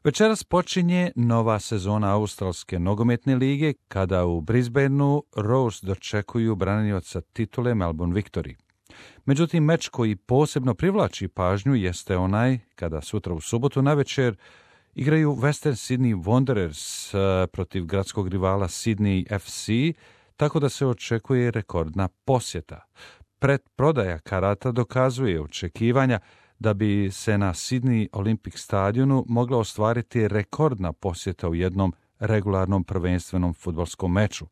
Večeras počinje nova sezona Australske nogometne lige kada u Brisbaneu Roars dočekuju branioca titule Melbourne Victory. Međutim, meč koji posebno privlači pažnju jeste onaj kada sutra u subotu navečer igraju Western Sydney Wanderers protiv gradskog rivala Sydney FC, tako da se očekuje rekordna posjeta. Predprodaja karata dokazuje očekivanja da bi se na Sydney Olympic stadionu mogla ostvariti rekordna posjeta u jednom regularnom prvenstvenom fudbalskom meču.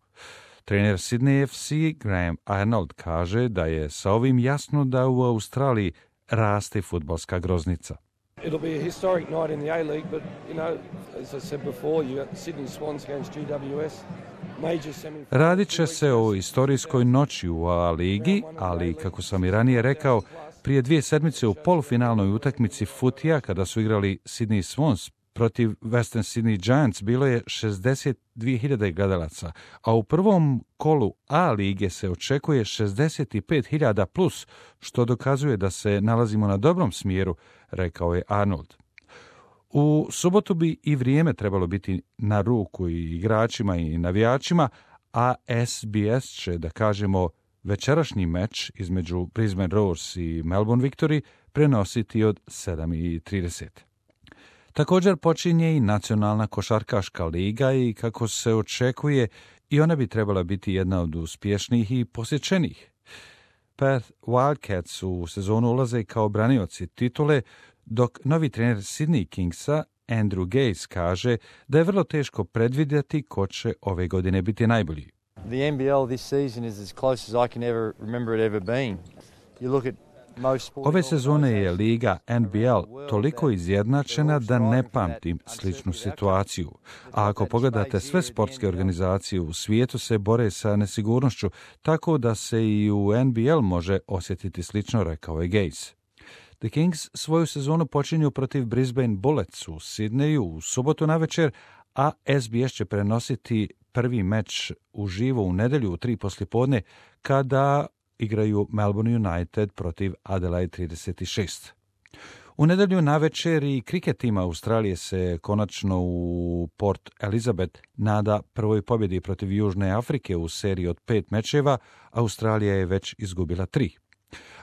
Trener Sydney FC Graham Arnold kaže da je sa ovim jasno da u Australiji raste fudbalska groznica. It'll be a historic night in the A-League, but, as I said before, you got Sydney Swans against GWS. Radit će se o istorijskoj noći u A-ligi, ali, kako sam i ranije rekao, prije 2 sedmice u polufinalnoj utakmici futija, kada su igrali Sydney Swans protiv Western Sydney Giants, bilo je 62.000 gledalaca, a u prvom kolu A-lige se očekuje 65.000 plus, što dokazuje da se nalazimo na dobrom smjeru, rekao je Arnold. U subotu bi i vrijeme trebalo biti na ruku i igračima i navijačima, a SBS će, da kažemo, večerašnji meč između Brisbane Roars i Melbourne Victory prenositi od 7:30. Također počinje i Nacionalna košarkaška liga i, kako se očekuje, i ona bi trebala biti jedna od uspješnijih i posjećenih. Perth Wildcats u sezonu ulaze kao branioci titule, dok novi trener Sydney Kingsa, Andrew Gaze, kaže da je vrlo teško predvidjeti ko će ove godine biti najbolji. The NBL this season is as close as I can ever remember it ever been. You look at Ove sezone je liga NBL toliko izjednačena da ne pamtim sličnu situaciju. A ako pogledate, sve sportske organizacije u svijetu se bore sa nesigurnošću, tako da se i u NBL može osjetiti slično, rekao je Gaze. The Kings svoju sezonu počinju protiv Brisbane Bullets u Sidneju u subotu navečer, a SBS će prenositi prvi meč uživo u nedjelju u 3 poslijepodne kada igraju Melbourne United protiv Adelaide 36. U nedjelju navečer i kriket tima Australije se konačno u Port Elizabeth nada prvoj pobjedi protiv Južne Afrike u seriji od 5 mečeva. Australija je već izgubila 3.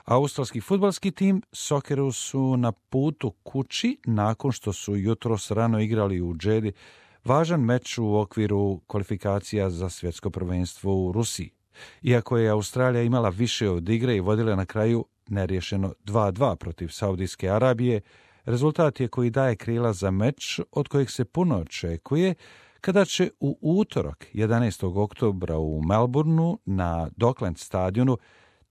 Australski fudbalski tim Socceroos su na putu kući nakon što su jutros rano igrali u Džedi važan meč u okviru kvalifikacija za svjetsko prvenstvo u Rusiji. Iako je Australija imala više od igre i vodila na kraju neriješeno 2:2 protiv Saudijske Arabije, rezultat je koji daje krila za meč od kojeg se puno očekuje, kada će u utorak 11. oktobra u Melbourneu na Docklands stadionu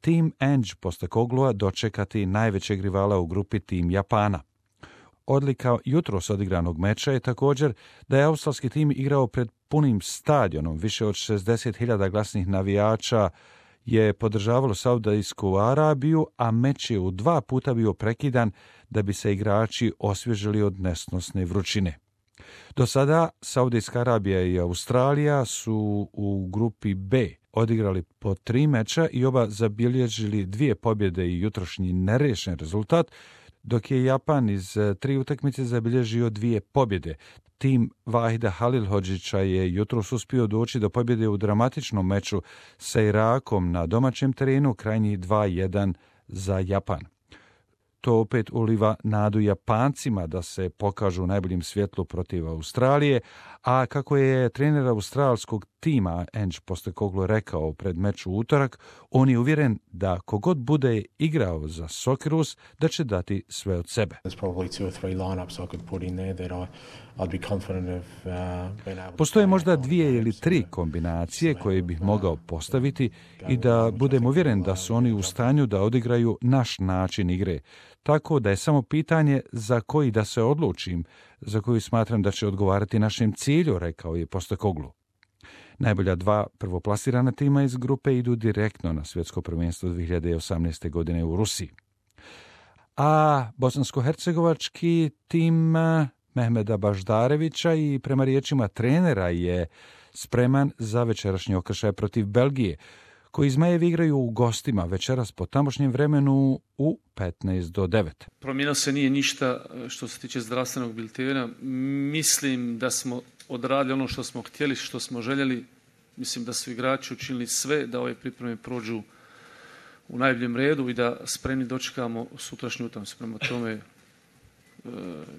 tim Ange Postecogloua dočekati najvećeg rivala u grupi, tim Japana. Odlika jutros odigranog meča je također da je australski tim igrao pred punim stadionom. Više od 60.000 glasnih navijača je podržavalo Saudijsku Arabiju, a meč je u 2 puta bio prekidan da bi se igrači osvježili od nesnosne vrućine. Do sada Saudijska Arabija i Australija su u grupi B odigrali po 3 meča i oba zabilježili 2 pobjede i jutrošnji neriješen rezultat, dok je Japan iz 3 utakmice zabilježio 2 pobjede. Tim Vahida Halilhodžića je jutros uspio doći do pobjede u dramatičnom meču sa Irakom na domaćem terenu, krajnji 2:1 za Japan. To opet uliva nadu Japancima da se pokažu u najboljem svjetlu protiv Australije, a kako je trener australskog tima Ange Postecoglou rekao pred meč u utorak, on je uvjeren da kogod bude igrao za Socceroos da će dati sve od sebe. Postoje možda 2 ili 3 kombinacije koje bih mogao postaviti i da budem uvjeren da su oni u stanju da odigraju naš način igre. Tako da je samo pitanje za koji da se odlučim, za koji smatram da će odgovarati našem cilju, rekao je Postecoglou. Najbolja 2 prvoplasirana tima iz grupe idu direktno na svjetsko prvenstvo 2018. godine u Rusiji. A bosansko-hercegovački tim Mehmeda Baždarevića i prema riječima trenera je spreman za večerašnji okršaj protiv Belgije. koji Zmajevi igraju u gostima večeras po tamošnjem vremenu u 15 do 9. Promijenilo se nije ništa što se tiče zdravstvenog biltena. Mislim da smo odradili ono što smo htjeli, što smo željeli. Mislim da su igrači učinili sve da ove pripreme prođu u najboljem redu i da spremni dočekamo sutrašnju utakmicu. Prema tome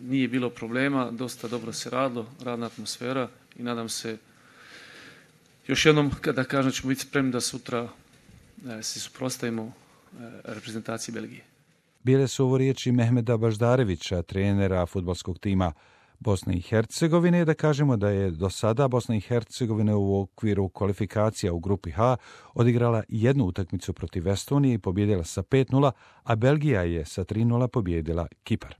nije bilo problema, dosta dobro se radilo, radna atmosfera i nadam se još jednom kada kažem da ćemo biti spremni da sutra se suprotstavimo reprezentaciji Belgije. Bile su ovo riječi Mehmeda Baždarevića, trenera fudbalskog tima Bosne i Hercegovine, da kažemo da je do sada Bosna i Hercegovina u okviru kvalifikacija u grupi H odigrala jednu utakmicu protiv Estonije i pobijedila sa 5:0, a Belgija je sa 3:0 pobijedila Kipar.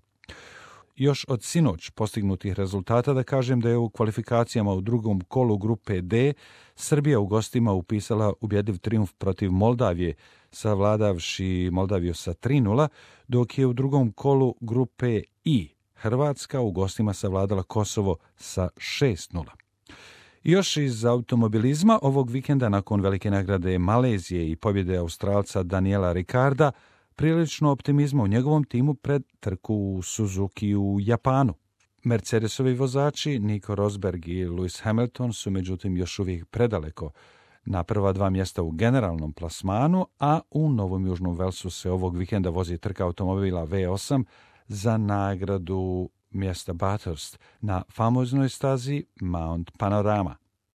Još od sinoć postignutih rezultata da kažem da je u kvalifikacijama u drugom kolu grupe D Srbija u gostima upisala ubjedljiv trijumf protiv Moldavije, savladavši Moldaviju sa 3:0, dok je u drugom kolu grupe I Hrvatska u gostima savladala Kosovo sa 6:0. Još iz automobilizma ovog vikenda nakon velike nagrade Malezije i pobjede Australca Daniela Ricarda, prilično optimizma u njegovom timu pred trku u Suzuki u Japanu. Mercedesovi vozači Nico Rosberg i Lewis Hamilton su međutim još uvijek predaleko na prva 2 mjesta u generalnom plasmanu, a u Novom Južnom Velsu se ovog vikenda vozi trka automobila V8 za nagradu mjesta Bathurst na famoznoj stazi Mount Panorama.